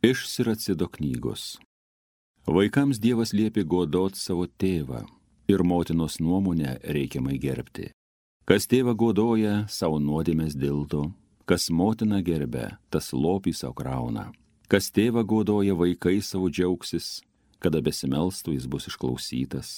Iš Siracido knygos. Vaikams Dievas liepė godot savo tėvą ir motinos nuomonę reikiamai gerbti. Kas tėvą godoja, savo nuodėmės dildo, kas motiną gerbia, tas lopį savo krauna. Kas tėvą godoja, vaikai savo džiaugsis, kada besimelstų jis bus išklausytas.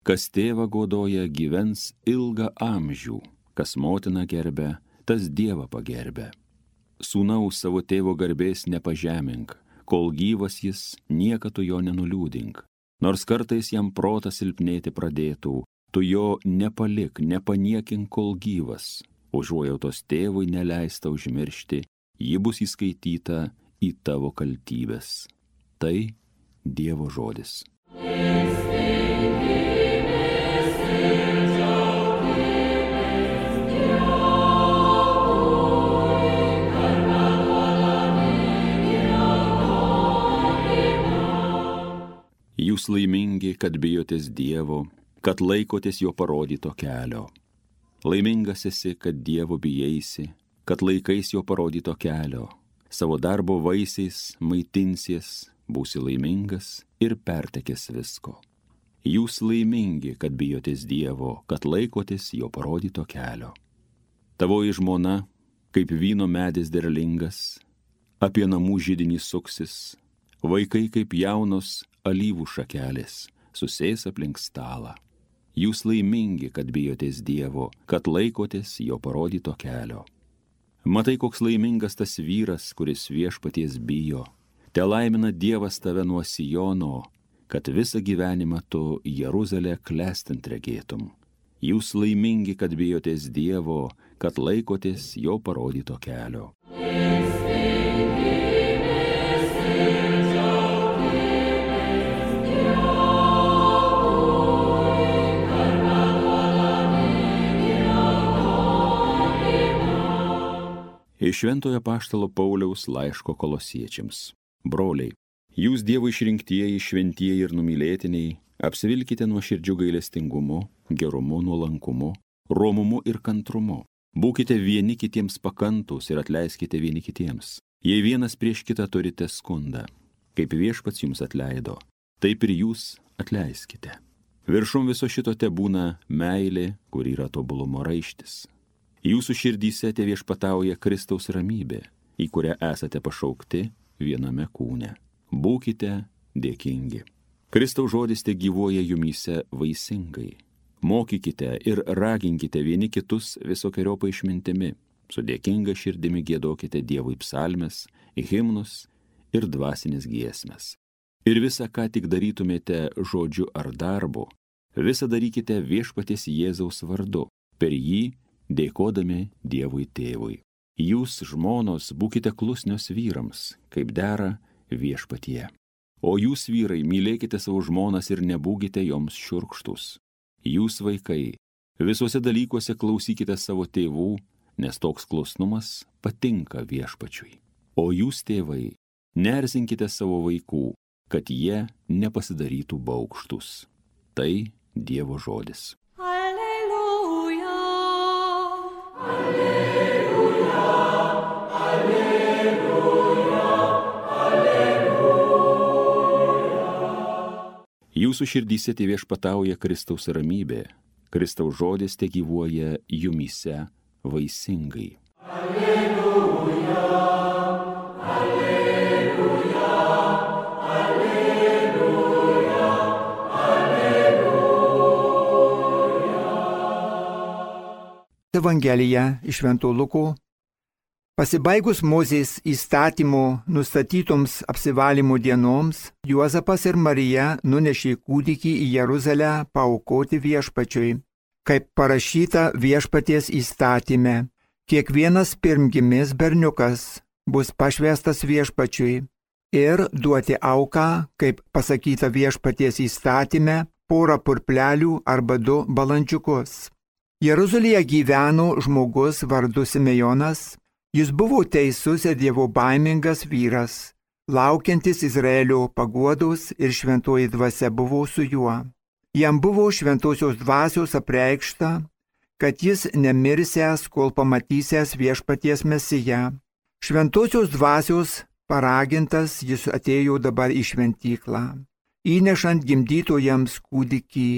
Kas tėvą godoja, gyvens ilgą amžių, kas motiną gerbia, tas Dievą pagerbia. Sūnaus savo tėvo garbės nepažemink, kol gyvas jis, niekad tu jo nenuliūdink. Nors kartais jam protas silpnėti pradėtų, tu jo nepalik, nepaniekink, kol gyvas. Užuojautos tėvui neleista užmiršti, ji bus įskaityta į tavo kaltybės. Tai Dievo žodis. Jūs laimingi, kad bijotės Dievo, kad laikotės jo parodyto kelio. Laimingas esi, kad Dievo bijaisi, kad laikais jo parodyto kelio. Savo darbo vaisiais maitinsies, būsi laimingas ir pertekės visko. Jūs laimingi, kad bijotės Dievo, kad laikotės jo parodyto kelio. Tavoji žmona, kaip vyno medis derlingas, apie namų židinį suksis, vaikai kaip jaunos alyvų šakelės, susės aplink stalą. Jūs laimingi, kad bijotės Dievo, kad laikotės jo parodyto kelio. Matai, koks laimingas tas vyras, kuris viešpaties bijo. Te laimina Dievas tave nuo Siono, kad visą gyvenimą tu Jeruzalę klestint regėtum. Jūs laimingi, kad bijotės Dievo, kad laikotės jo parodyto kelio. Iš Šventojo apaštalo Pauliaus laiško Kolosiečiams. Broliai, jūs Dievo išrinktieji, šventieji ir numylėtiniai, apsivilkite nuoširdžiu gailestingumu, gerumu, nuolankumu, romumu ir kantrumu. Būkite vieni kitiems pakantus ir atleiskite vieni kitiems. Jei vienas prieš kitą turite skundą, kaip viešpats jums atleido, taip ir jūs atleiskite. Viršum viso šito tebūna meilė, kur yra tobulumo raištis. Jūsų širdyse te viešpatauja Kristaus ramybė, į kurią esate pašaukti viename kūne. Būkite dėkingi. Kristaus žodis te gyvuoja jumyse vaisingai. Mokykite ir raginkite vieni kitus visokeriopą išmintimi. Su dėkinga širdimi giedokite Dievui psalmes, himnus ir dvasinės giesmes. Ir visą, ką tik darytumėte žodžiu ar darbu, visą darykite viešpaties Jėzaus vardu. Per jį dėkodami Dievui tėvui. Jūs, žmonos, būkite klusnios vyrams, kaip dera viešpatie. O jūs, vyrai, mylėkite savo žmonas ir nebūkite joms šiurkštus. Jūs, vaikai, visuose dalykuose klausykite savo tėvų, nes toks klusnumas patinka viešpačiui. O jūs, tėvai, neerzinkite savo vaikų, kad jie nepasidarytų baugštus. Tai Dievo žodis. Jūsų širdyse te viešpatauja Kristaus ramybė, Kristaus žodis te gyvuoja jumyse vaisingai. Alleluja, alleluja, alleluja, alleluja. Evangelija iš Švento Luko. Pasibaigus Mozės įstatymo nustatytoms apsivalymo dienoms, Juozapas ir Marija nunešė kūdikį į Jeruzalę paaukoti viešpačiui. Kaip parašyta viešpaties įstatyme, kiekvienas pirmgimis berniukas bus pašvęstas viešpačiui ir duoti auką, kaip pasakyta viešpaties įstatyme, porą purplelių arba 2 balandžiukus. Jeruzalėje gyveno žmogus vardu Simejonas. Jis buvo teisus ir dievobaimingas vyras, laukiantis Izraelio paguodos ir šventoji dvasia buvo su juo. Jam buvo šventosios dvasios apreikšta, kad jis nemirsęs, kol pamatysęs viešpaties Mesiją. Šventosios dvasios Paragintas jis atėjo dabar į šventyklą, įnešant gimdytojams kūdikį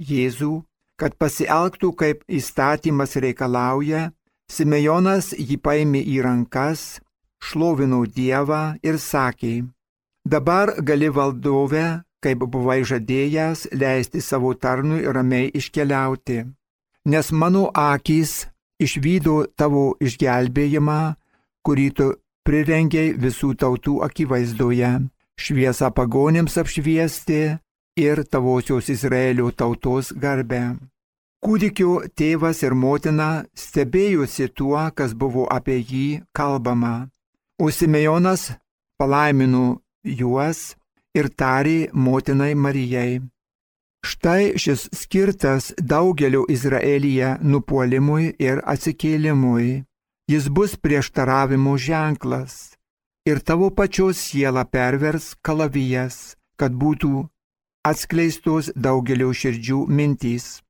Jėzų, kad pasielgtų kaip įstatymas reikalauja. Simejonas jį paėmė į rankas, šlovino Dievą ir sakė: dabar gali valdove, kaip buvai žadėjęs, leisti savo tarnui ramiai iškeliauti, nes mano akys išvydo tavo išgelbėjimą, kurį tu prirengiai visų tautų akivaizdoje, šviesą pagonims apšviesti ir tavosios Izraelio tautos garbę. Kūdikio tėvas ir motina stebėjosi tuo, kas buvo apie jį kalbama, o Simejonas palaimino juos ir tarė motinai Marijai: štai šis skirtas daugelio Izraelyje nupuolimui ir atsikėlimui. Jis bus prieštaravimo ženklas ir tavo pačios sielą pervers kalavijas, kad būtų atskleistos daugelio širdžių mintys.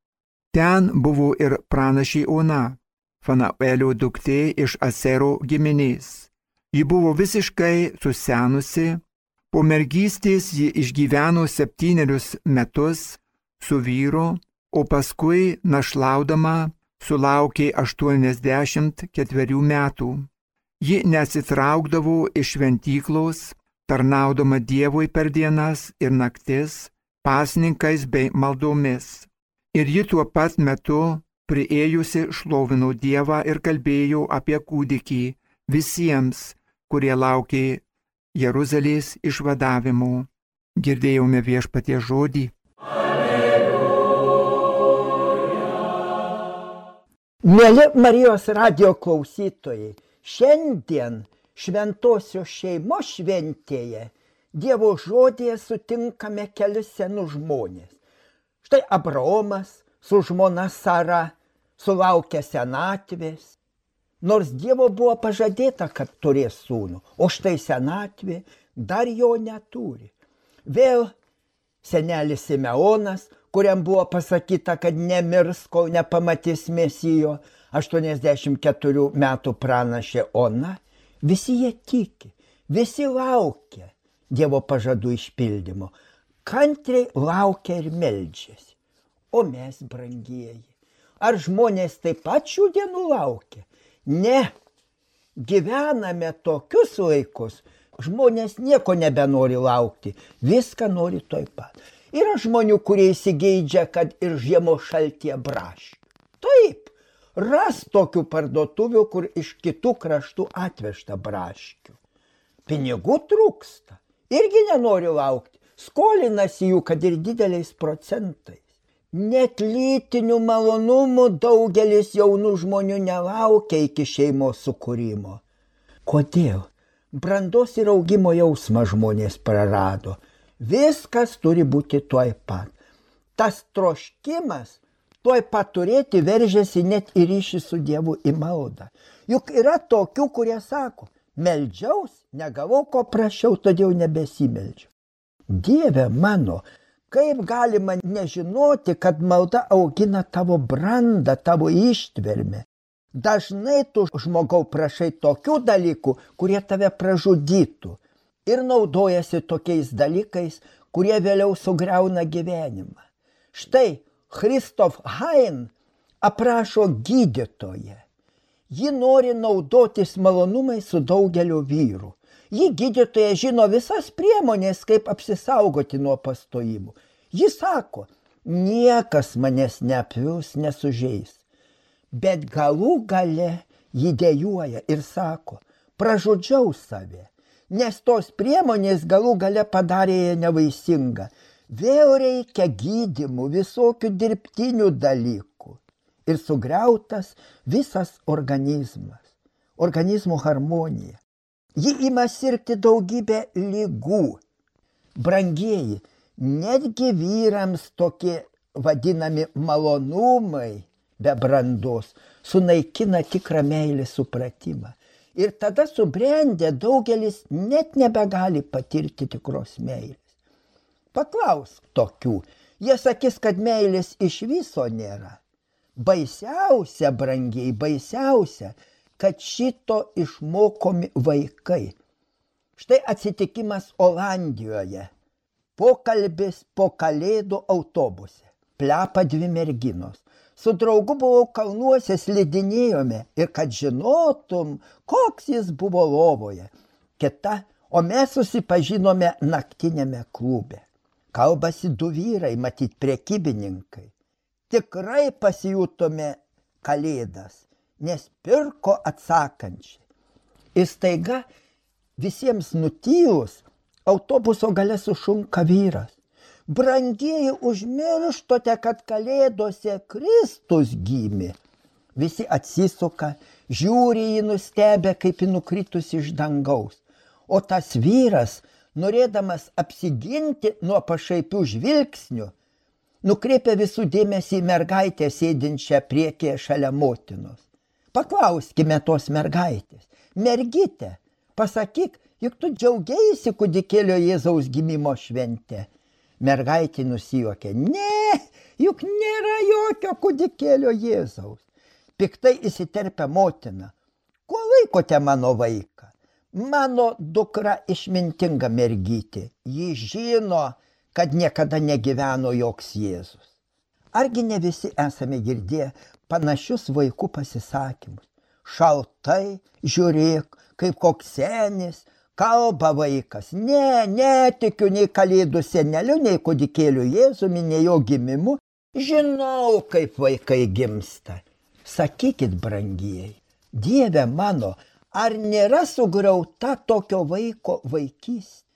Ten buvo ir pranašė Ona, Fanuelio duktė iš Asero giminės. Ji buvo visiškai susenusi, po mergystės ji išgyveno 7 metus su vyru, o paskui našlaudama sulaukė 84 metų. Ji neatsitraukdavo iš šventyklos, tarnaudama Dievui per dienas ir naktis, pasninkais bei maldomis. Ir ji tuo pat metu priėjusi šlovino Dievą ir kalbėjo apie kūdikį visiems, kurie laukė Jeruzalės išvadavimo. Girdėjome Viešpaties žodį. Mieli Marijos radijo klausytojai, šiandien šventosios šeimos šventėje Dievo žodėje sutinkame kelis senus žmonės. Štai Abraomas su žmona Sara sulaukė senatvės, nors Dievo buvo pažadėta, kad turės sūnų, o štai senatvė dar jo neturi. Vėl senelis Simeonas, kuriam buvo pasakyta, kad nemirs, kol nepamatys Mesijo, 84 metų pranašė Ona. Visi jie tiki, visi laukia Dievo pažadų išpildymo, kantriai laukia ir meldžiasi. O mes, brangieji, ar žmonės taip pat šių dienų laukia? Ne, gyvename tokius laikus, žmonės nieko nebenori laukti, viską nori tuoj pat. Yra žmonių, kurie įsigeidžia, kad ir žiemos šaltyje braškių. Taip, ras tokių parduotuvių, kur iš kitų kraštų atvežta braškių. Pinigų trūksta, irgi nenori laukti, skolinasi jų, kad ir dideliais procentais. Net lytinių malonumų daugelis jaunų žmonių nelaukia iki šeimos sukūrimo. Kodėl? Brandos ir augimo jausmą žmonės prarado. Viskas turi būti tuoj pat. Tas troškimas tuoj pat turėti veržiasi net į ryšį su Dievu, į maldą. Juk yra tokių, kurie sako: meldžiaus, negavau ko prašiau, todėl nebesimeldžiu. Dieve mano, kaip galima nežinoti, kad malda augina tavo brandą, tavo ištvermę. Dažnai tu, žmogau, prašai tokių dalykų, kurie tave pražudytų. Ir naudojasi tokiais dalykais, kurie vėliau sugriauna gyvenimą. Štai Christoph Hein aprašo gydytoją. Ji nori naudotis malonumais su daugeliu vyrų. Ji gydytoja žino visas priemonės, kaip apsisaugoti nuo pastojimų. Ji sako: niekas manęs neapvils, nesužeis. Bet galų gale ji dejuoja ir sako: pražudžiau save. Nes tos priemonės galų gale padarė ją nevaisingą. Vėl reikia gydymų, visokių dirbtinių dalykų. Ir sugriautas visas organizmas, organizmo harmonija. Ji ima sirgti daugybę ligų. Brangieji, netgi vyrams tokie vadinami malonumai be brandos sunaikina tikrą meilės supratimą. Ir tada subrendę daugelis net nebegali patirti tikros meilės. Paklausk tokių, jie sakys, kad meilės iš viso nėra. Baisiausia, brangiai, baisiausia, kad šito išmokomi vaikai. Štai atsitikimas Olandijoje. Pokalbis po Kalėdų autobuse. Plepa 2 merginos. Su draugu buvau kalnuose, slidinėjome ir kad žinotum, koks jis buvo lovoje. Kita, o mes susipažinome naktinėme klube. Kalbasi 2 vyrai, matyt prekybininkai. Tikrai pasijutome Kalėdas, nes pirko atsakančiai. Ir staiga visiems nutyjus autobuso gale sušunka vyras. Brangieji, užmirštote, kad Kalėdose Kristus gimė. Visi atsisuka, žiūri jį nustebę, kaip jį nukritus iš dangaus. O tas vyras, norėdamas apsiginti nuo pašaipių žvilgsnių, nukreipia visų dėmesį į mergaitę sėdinčią priekyje šalia motinos. Paklauskime tos mergaitės. Mergyte, pasakyk, juk tu džiaugeisi kūdikėlio Jėzaus gimimo švente. Mergaitė nusijuokė. Ne, juk nėra jokio kūdikėlio Jėzaus. Piktai įsiterpia motina. Kuo laikote mano vaiką? Mano dukra išmintinga mergytė. Ji žino, kad niekada negyveno joks Jėzus. Argi ne visi esame girdėję panašius vaikų pasisakymus? Šaltai, žiūrėk, kaip koks senis, kalba vaikas. Ne, netikiu nei Kalėdų seneliu, nei kūdikėliu Jėzumi, nei jo gimimu. Žinau, kaip vaikai gimsta. Sakykit, brangieji, Dieve mano, ar nėra sugriauta tokio vaiko vaikystė?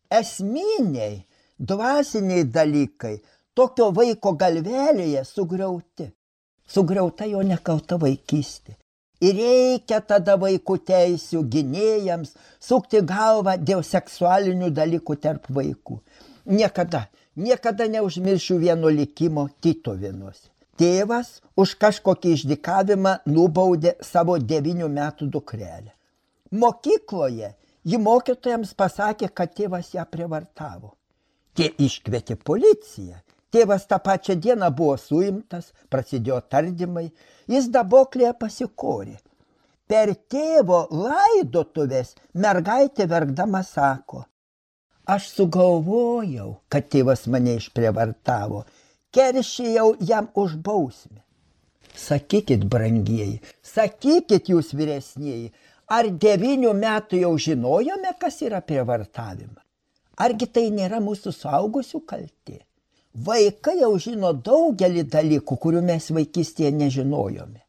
Esminiai, dvasiniai dalykai tokio vaiko galvelėje sugriauti. Sugriauta jo nekalta vaikystė. Ir reikia tada vaikų teisių gynėjams sukti galvą dėl seksualinių dalykų tarp vaikų. Niekada neužmiršiu vieno likimo Tytuvėnuose. Tėvas už kažkokį išdykavimą nubaudė savo 9 metų dukrelę. Mokykloje ji mokytojams pasakė, kad tėvas ją prievartavo. Tie iškvietė policiją. Tėvas tą pačią dieną buvo suimtas, prasidėjo tardymai, jis daboklėje pasikorė. Per tėvo laidotuvės mergaitė verkdama sako, aš sugalvojau, kad tėvas mane išprievartavo, keršijau jam už bausmę. Sakykit, brangieji, sakykit jūs vyresnieji, ar 9 metų jau žinojome, kas yra prievartavimas? Argi tai nėra mūsų suaugusių kaltė? Vaikai jau žino daugelį dalykų, kurių mes vaikystėje nežinojome.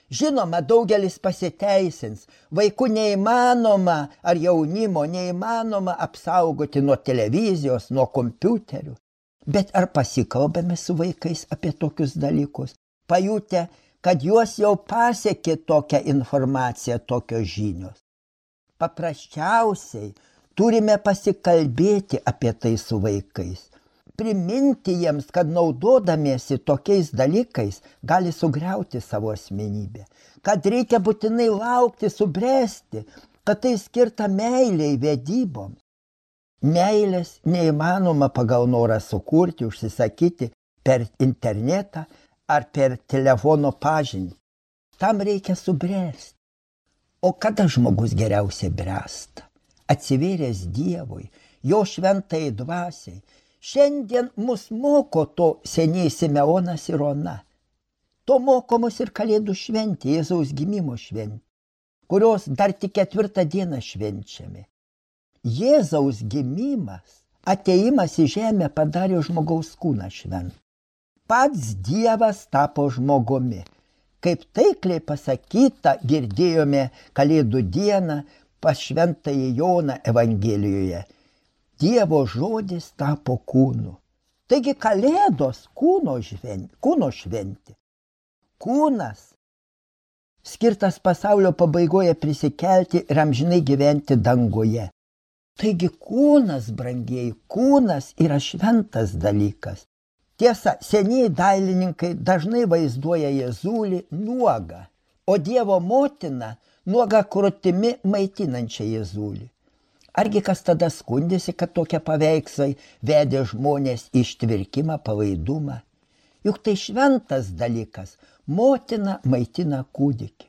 Žinoma, daugelis pasiteisins. Vaikų neįmanoma, ar jaunimo neįmanoma apsaugoti nuo televizijos, nuo kompiuterių. Bet ar pasikalbame su vaikais apie tokius dalykus? Pajutę, kad juos jau pasiekė tokią informaciją, tokios žinios. Paprasčiausiai turime pasikalbėti apie tai su vaikais. Priminti jiems, kad naudodamiesi tokiais dalykais gali sugriauti savo asmenybę, kad reikia būtinai laukti, subręsti, kad tai skirta meiliai, vedyboms. Meilės neįmanoma pagal norą sukurti, užsisakyti per internetą ar per telefono pažintį. Tam reikia subręsti. O kada žmogus geriausiai bręsta? Atsivėręs Dievui, jo šventai dvasiai. Šiandien mus moko to seniai Simeonas ir Ona. To moko mus ir Kalėdų šventė, Jėzaus gimimo šventė, kurios dar tik 4 dieną švenčiame. Jėzaus gimimas, atėjimas į žemę padarė žmogaus kūną šventą. Pats Dievas tapo žmogumi. Kaip taikliai pasakyta, girdėjome Kalėdų dieną pas šventąjį Joną Evangelijoje. Dievo žodis tapo kūnu. Taigi Kalėdos kūno šventė. Kūnas skirtas pasaulio pabaigoje prisikelti ir amžinai gyventi danguje. Taigi kūnas, brangieji, kūnas yra šventas dalykas. Tiesa, senieji dailininkai dažnai vaizduoja Jėzulį nuogą, o Dievo motiną nuogą krūtimi maitinančią Jėzulį. Argi kas tada skundėsi, kad tokie paveikslai vedė žmonės į ištvirkimą, palaidumą? Juk tai šventas dalykas, motina maitina kūdikį.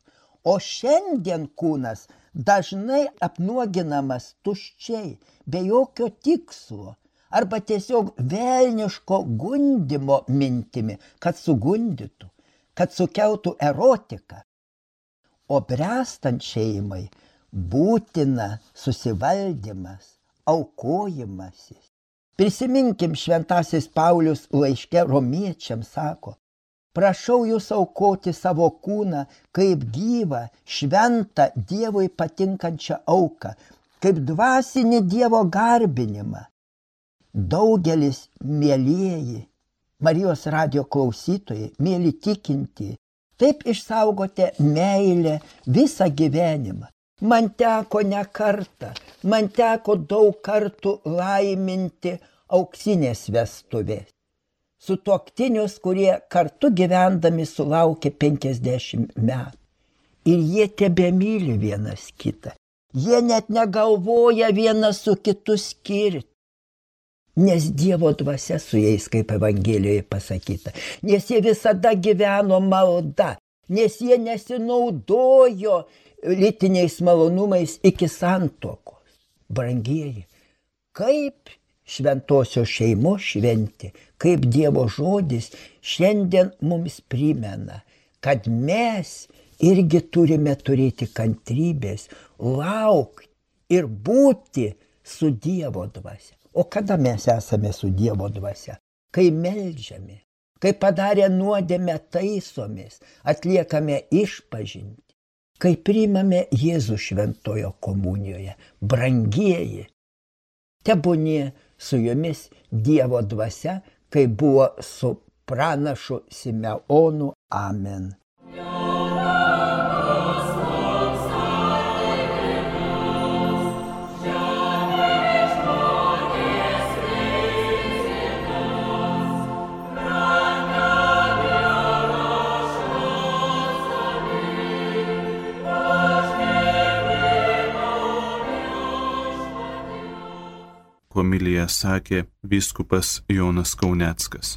O šiandien kūnas dažnai apnuoginamas tuščiai, be jokio tikslo, arba tiesiog velniško gundimo mintimi, kad sugundytų, kad sukeltų erotiką. O bręstant šeimai būtina susivaldymas, aukojimasis. Prisiminkim, šventasis Paulius laiške Romiečiams sako: prašau jūs aukoti savo kūną kaip gyvą, šventą, Dievui patinkančią auką, kaip dvasinį Dievo garbinimą. Daugelis, mielieji, Marijos radijo klausytojai, mėly tikintieji, taip išsaugote meilę visą gyvenimą. Man teko ne kartą, man teko daug kartų laiminti auksinės vestuvės. Sutuoktinius, kurie kartu gyvendami sulaukė 50 metų. Ir jie tebemyli vienas kitą. Jie net negalvoja vienas su kitu skirti. Nes Dievo dvasia su jais, kaip Evangelijoje pasakyta. Nes jie visada gyveno malda. Nes jie nesinaudojo lytiniais malonumais iki santuokos. Brangieji, kaip šventosios šeimos šventė, kaip Dievo žodis šiandien mums primena, kad mes irgi turime turėti kantrybės, laukti ir būti su Dievo dvasia. O kada mes esame su Dievo dvasia? Kai meldžiame, kai padarę nuodėmę taisomės, atliekame išpažintį, kai priimame Jėzų šventojo komunijoje. Brangieji, tebūnie su jumis Dievo dvasia, kai buvo su pranašu Simeonu. Amen. Homiliją sakė vyskupas Jonas Kauneckas.